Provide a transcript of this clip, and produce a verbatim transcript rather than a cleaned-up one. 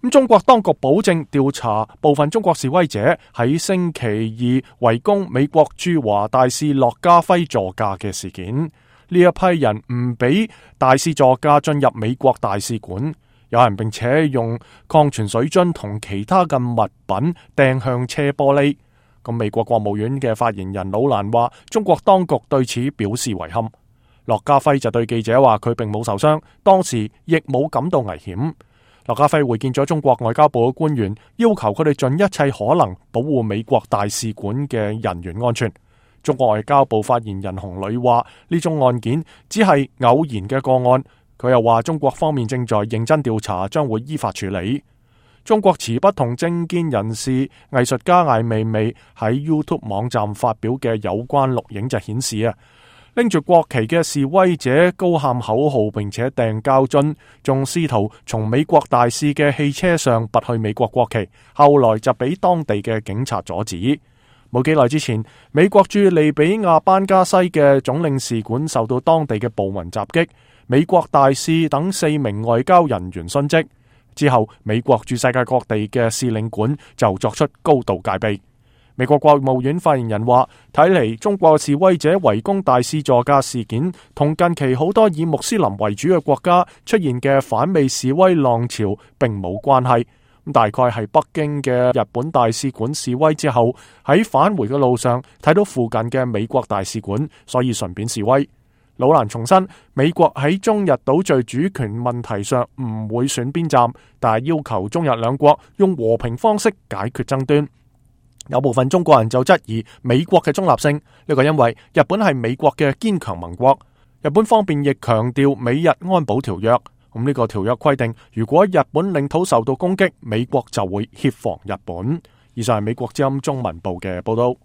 咁中國當局保證調查部分中國示威者喺星期二圍攻美國駐華大使駱家輝座駕嘅事件。呢一批人唔俾大使座駕進入美國大使館，有人並且用礦泉水樽同其他嘅物品掟向車玻璃。咁美國國務院嘅發言人魯蘭話，中國當局對此表示遺憾。駱家輝就對記者話，佢並冇受傷，當時亦冇感到危險。駱家輝會見咗中國外交部嘅官員，要求佢哋盡一切可能保護美國大使館嘅人員安全。中國外交部發言人洪磊話，呢宗案件只係偶然嘅個案。佢又話，中國方面正在認真調查，將會依法處理。中國持不同政見人士藝術家艾未未喺 YouTube 網站發表嘅有關錄影就顯示啊，拎住國旗嘅示威者高喊口號，並且掟膠樽，仲試圖從美國大使嘅汽車上拔去美國國旗，後來就俾當地嘅警察阻止。冇幾耐之前，美國駐利比亞班加西嘅總領事館受到當地嘅暴民襲擊，美國大使等四名外交人員殉職。之後，美國駐世界各地嘅使領館就作出高度戒備。美國國務院發言人話，睇嚟中國示威者圍攻大使座駕事件同近期好多以穆斯林為主嘅國家出現嘅反美示威浪潮並冇關係。大概係北京嘅日本大使館示威之後，喺返回嘅路上睇到附近嘅美國大使館，所以順便示威。魯蘭重申，美國喺中日島嶼主權問題上唔會選邊站，但係要求中日兩國用和平方式解決爭端。有部分中國人就質疑美國嘅中立性，呢個因為日本係美國嘅堅強盟國，日本方面亦強調美日安保條約。咁呢個條約規定，如果日本領土受到攻擊，美國就會協防日本。以上係美國之音中文部嘅報道。